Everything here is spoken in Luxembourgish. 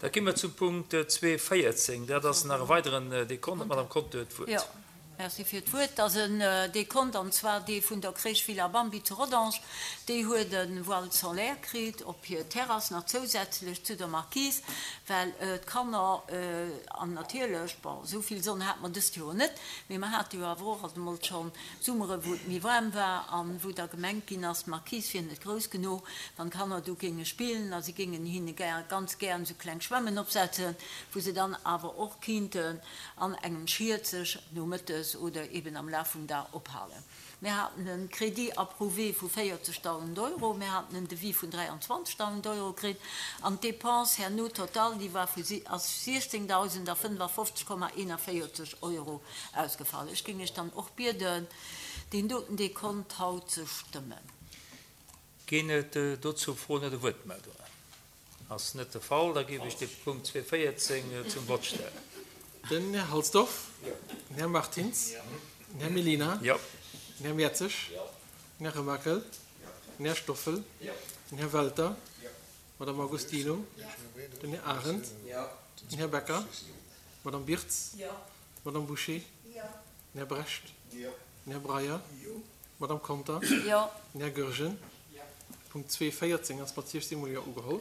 Da gi mer zum Punkt 2.14. Dat ass nach e weideren Dekont. D'Madame Conter huet d'Wuert. Jo, merci fir d'Wuert. Dat ass en Dekont, an zwar dee vun der Crèche Villa Bambi zu Rodange. Déi huet e Voile solaire kritt op hir Terrass, nach zousätzlech zu der Marquise, well d'Kanner, an natierlech, bon, esou vill Sonn hate mer dëst Joer net, mee mer hate jo awer och alt emol schonn Summere wou et méi waarm war an wou da gemengt ginn ass, d'Marquise wier net grouss genuch, wann d'Kanner do géinge spillen a si géingen hinne gär, ganz gären esou kleng Schwämmen opsetzen, wou se dann awer och kinnten an engem Schiet sech nomëttes oder eben am Laf vum Dag ophalen. Mir haten e Crédit approuvé vu 40.000 Euro, mir haten en Devis vun 23.000 Euro kritt an d'Dépense herno total, déi war vu, ass 16.055,41 Euro Ausgefall. Ech géing Iech dann och bieden, deen doten Dekont haut ze stëmmen. Ginn et dozou Froen oder Wuertmeldungen? Ass net de Fall. Da géif ech de Punkt 2.14 zum Vott stellen. Den Här Halsdorf. Den Här Martins. Den Här Mellina. Den Här Mertzig. Den Här Remakel. Den Här Stoffel. Den Här Welter. D'Madame Agostino. Den Här Arendt. Den Här Becker. D'Madame Birtz. D'Madame Bouché. Den Här Brecht. Den Här Breyer. D'Madame Conter. Den Här Goergen. Punkt 2.14 ass mat 16 mol Jo ugeholl.